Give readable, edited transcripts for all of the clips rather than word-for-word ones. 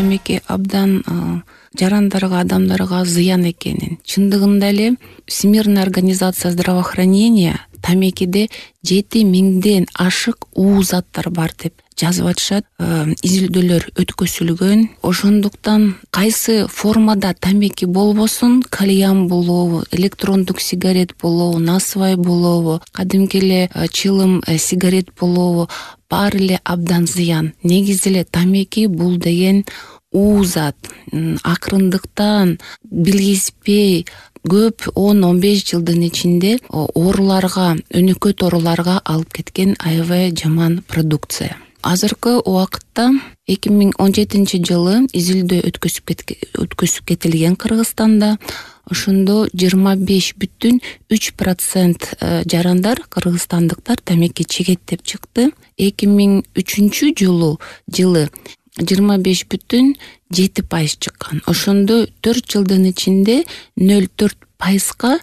тамеки абдан жарандарга, адамдарга зыян экенин, чындыгында эле Всемирная организация здравоохранения тамекиде 7000ден ашык уу заттар бар деп жазып атышат. Изилдөөлөр өткөзүлгөн. Ошондуктан кайсы формада тамеки болбосун, кальян болобу, электрондук сигарет болобу, насвай болобу, кадимки эле чылым сигарет болобу, баары эле абдан зыян. Негизи эле тамеки бул деген уу зат. Акырындыктан билгиспей көп 10-15 жылдын ичинде ооруларга, өнөкөт ооруларга алып кеткен аябай жаман продукция. Азыркы убакытта 2017 изилдөө өткөзүп кетилген Кыргызстанда. Ошондо 25,3% жарандар, кыргызстандыктар тамеки чегет деп чыкты. 2003 жылы 25,7% чыккан. Ошондо 4 жылдын ичинде 0,4%га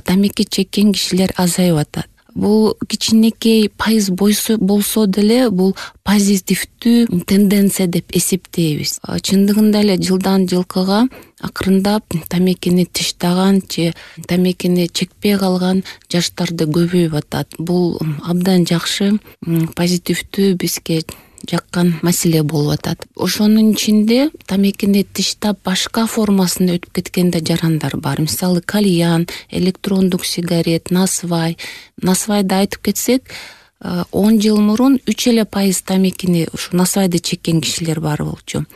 тамеки чеккен кишилер азайып атат. Бул кичинекей пайыз болсо деле бул позитивдүү тенденция деп эсептейбиз. Чындыгында эле жылдан жылкыга акырындап тамекини тыштаган же тамекини чекпей калган жаштарды көбөйүп атат. Бул абдан жакшы, позитивдүү, бизге жаккан маселе болуп атат. Ошонун ичинде тамекини тыштап башка формасында өтүп кеткен да жарандар бар. Мисалы кальян, электрондук сигарет, насвай. Насвайды айтып кетсек, 10 жыл мурун 3% тамекини ушу насвайды чеккен кишилер бар болчу.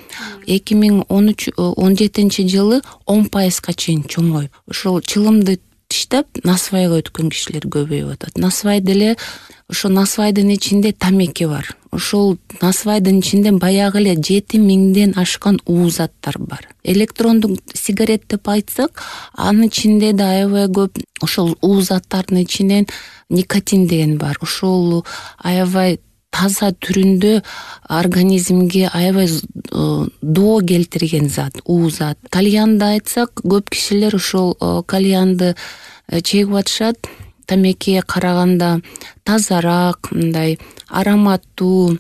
2017 жылы 10%га чейин чоңоюп, ошол чылымды тыштап насвайга өткөн кишилер көбөйүп атат. Насвай деле ошо насвайдын ичинде тамеки бар. Ошол насвайдын ичинде баягы эле 7000ден ашкан уу заттар бар. Электрондук сигарет деп айтсак, анын ичинде да аябай көп ошол уу заттардын ичинен никотин деген бар. Ошол аябай таза түрүндө организмге аябай доо келтирген зат, уу зат. Кальянды айтсак, көп кишилер ошол кальянды чегип атышат. Тамекиге караганда тазараак, мындай ароматтуу,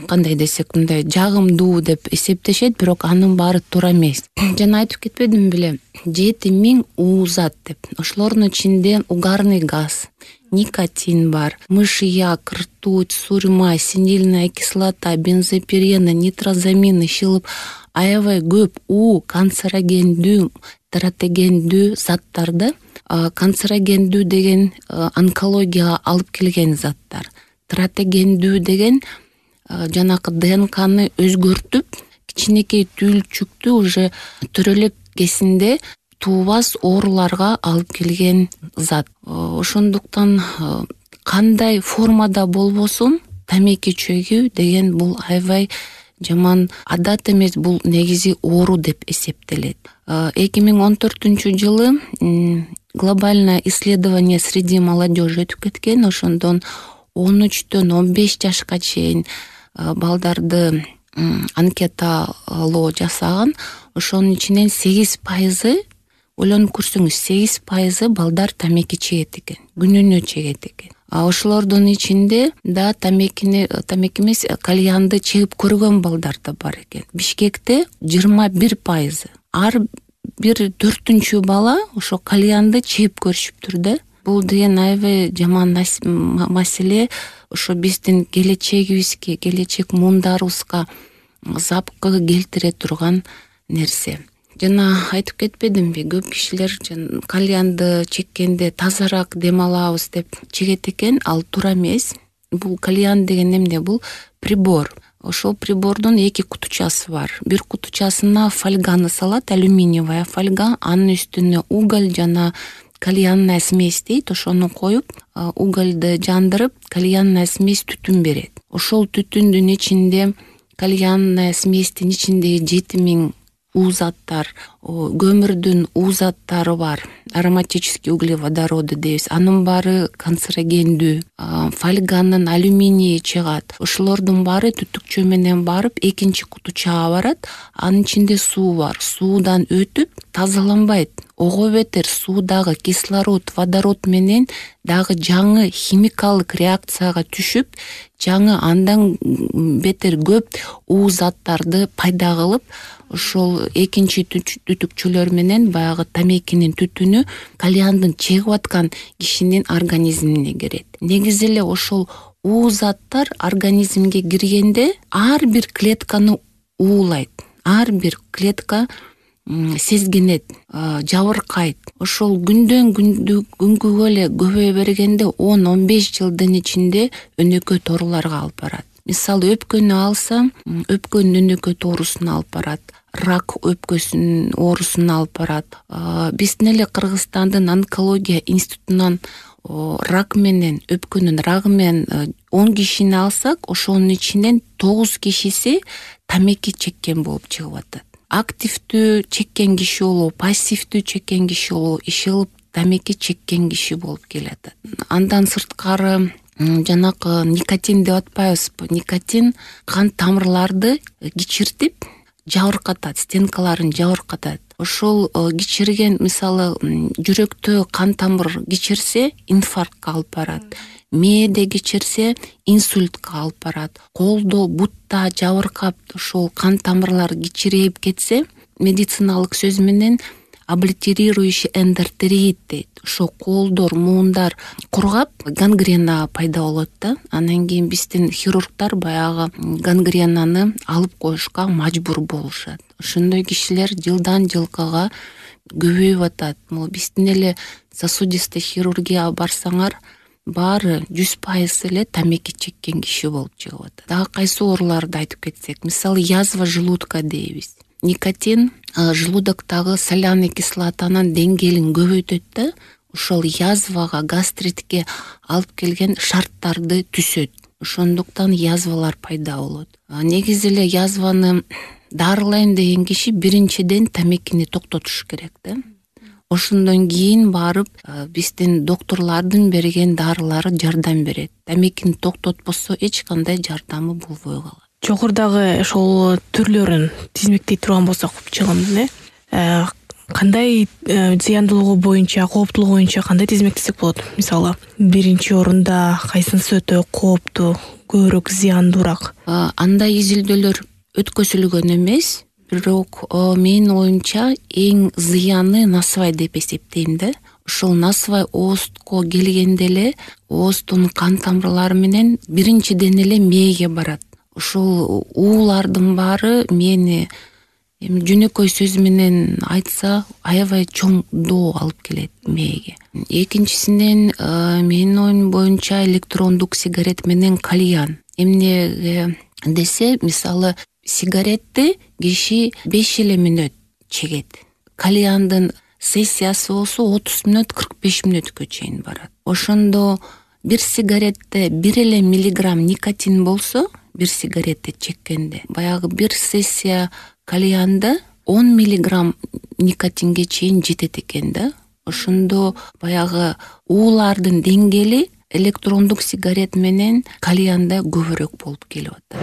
кандай десек, мындай жагымдуу деп эсептешет, бирок анын баары туура эмес. Жана айтып кетпедим беле, 7000 уу зат деп. Ошолордун ичинде угарный газ, никотин бар, мышьяк, ртуть, сурьма, синильная кислота, бензопирена, нитрозамины, шылып, аябай көп уу, канцерогендүү, тератогендүү заттарды. Канцерогендүү деген онкологияга алып келген заттар. Тератогендүү деген жанакы ДНКны өзгөртүп, кичинекей түйүлчүктү уже төрөлөк кезинде туубас ооруларга алып келген зат. Ошондуктан кандай формада болбосун, тамеки чөгүү деген бул аябай жаман адат эмес, бул негизи оору деп эсептелет. 2014 жылы глобальное исследование среди молодежи өтүп кеткен. Ошондон 13-төн 15 жашка чейин балдарды анкеталоо жасаган. Ошонун ичинен 8%, ойлонуп көрсөңүз, 8% балдар тамеки чегет экен, күнүнө чегет экен. Ошолордун ичинде да тамеки эмес, кальянды чегип көргөн балдар да бар экен. Бишкекте 21%. Ар бир 4-үнчү бала ошо кальянды чегип көрүшүптүр да. Бул деген аябай жаман маселе. Ошо биздин келечегибизге, келечек муундарыбызга запкы келтире турган нерсе. Жана айтып кетпедимби, көп кишилер кальянды чеккенде тазараак дем алабыз деп чегет экен, ал туура эмес. Бул кальян деген эмне? Бул прибор. Ошол прибордун 2 кутучасы бар. Бир кутучасына фольганы салат, алюминиевая фольга, анын үстүнө уголь жана кальянная смесь дейт. Ошону коюп, угольду жандырып, кальянная смесь түтүн берет. Ошол түтүндүн ичинде, кальянная сместин ичиндеги 7000 уу заттар, көмүрдүн уу заттары бар, ароматический углеводороды дейбиз. Анын баары канцерогендүү. Фольганын алюминийи чыгат. Ошолордун баары түтүкчө менен барып экинчи кутучага барат. Анын ичинде суу бар. Суудан өтүп тазаланбайт. ого бетер суудагы кислород, водород менен дагы жаңы химикалык реакцияга түшүп, жаңы андан бетер көп уу заттарды пайда кылып, ошол экинчи түтүкчүлөр менен баягы тамекинин түтүнү кальяндын чегип аткан кишинин организмине кирет. Негизи эле ошол уу заттар организмге киргенде ар бир клетканы уулайт. Ар бир клетка сезгенет, жабыркайт. Ошол күнгө эле көбөйө бергенде 10-15 жылдын ичинде өнөкөй тооруларга алып барат. Мисалы өпкөнү алса, өпкөнүн өнөкөй тоорусуна алып барат. Рак өпкөсүнүн оорусуна алып барат. Биздин эле Кыргызстандын онкология институтунан рак менен, өпкөнүн рагы менен 10 кишини алсак, ошонун ичинен 9 кишиси тамеки чеккен болуп чыгып атат. Активдүү чеккен киши болобу, пассивдүү чеккен киши болобу, иш кылып тамеки чеккен киши болуп келатат. Андан сырткары жанакы никотин деп атпайбызбы? Никотин кан тамырларды кичиртип, жабыркатат, стенкаларын жабыркатат. Ошол кичирген, мисалы, жүрөктө кан тамыр кичирсе, инфарктка алып барат. Мээде кичирсе, инсультка алып барат. Колдо, бутта жабыркап, ошол кан тамырлар кичирейип кетсе, медициналык сөз менен облитерирующий эндотерит дейт. Ошо колдор, муундар кургап, гангрена пайда болот да. Анан кийин биздин хирургдар баягы гангренаны алып коюшка мажбур болушат. Ошондой кишилер жылдан жылкыга көбөйүп атат. Могу биздин эле сосудистый хирургияга барсаңар, баары 100% эле тамеки чеккен киши болуп чыгып атат. Дагы кайсы ооруларды айтып кетсек, мисалы, язва желудка дейбиз. Никотин желудоктогу соляный кислотанын деңгээлин көбөйтөт да, ошол язвага, гастритке алып келген шарттарды түзөт. Ошондуктан язвалар пайда болот. Негизи эле язваны дарылайм деген киши биринчиден тамекини токтотуш керек да. Ошондон кийин барып биздин докторлордун берген дарылары жардам берет. Тамекини токтотпосо эч кандай жардамы болбой калат. Жогорудагы ошол түрлөрүн тизмектей турган болсок чыгымдын, кандай зыяндуулугу боюнча, кооптуулугу боюнча кандай тизмектесек болот? Мисалы, биринчи орунда кайсынысы өтө кооптуу, көбүрөөк зыяндуураак? Андай изилдөөлөр өткөзүлгөн эмес, бирок менин оюмча эң зыяны насвай деп эсептейм да. Ошол насвай оозго келгенде эле ооздун кан тамырлары менен биринчиден эле мээге барат. Ошол уулардын баары мени жөнөкөй сөз менен айтса, аябай чоң доо алып келет мээге. Экинчисинен менин оюм боюнча электрондук сигарет менен кальян. Эмнеге десе, мисалы, сигаретти киши 5 эле мүнөт чегет. Кальяндын сессиясы болсо 30 мүнөт, 45 мүнөткө чейин барат. Ошондо бир сигаретте 1 эле миллиграмм никотин болсо, бир сигаретти чеккенде, баягы бир сессия кальянда 10 миллиграмм никотинге чейин жетет экен да. Ошондо баягы уулардын деңгээли электрондук сигарет менен кальянда көбүрөөк болуп келип атат.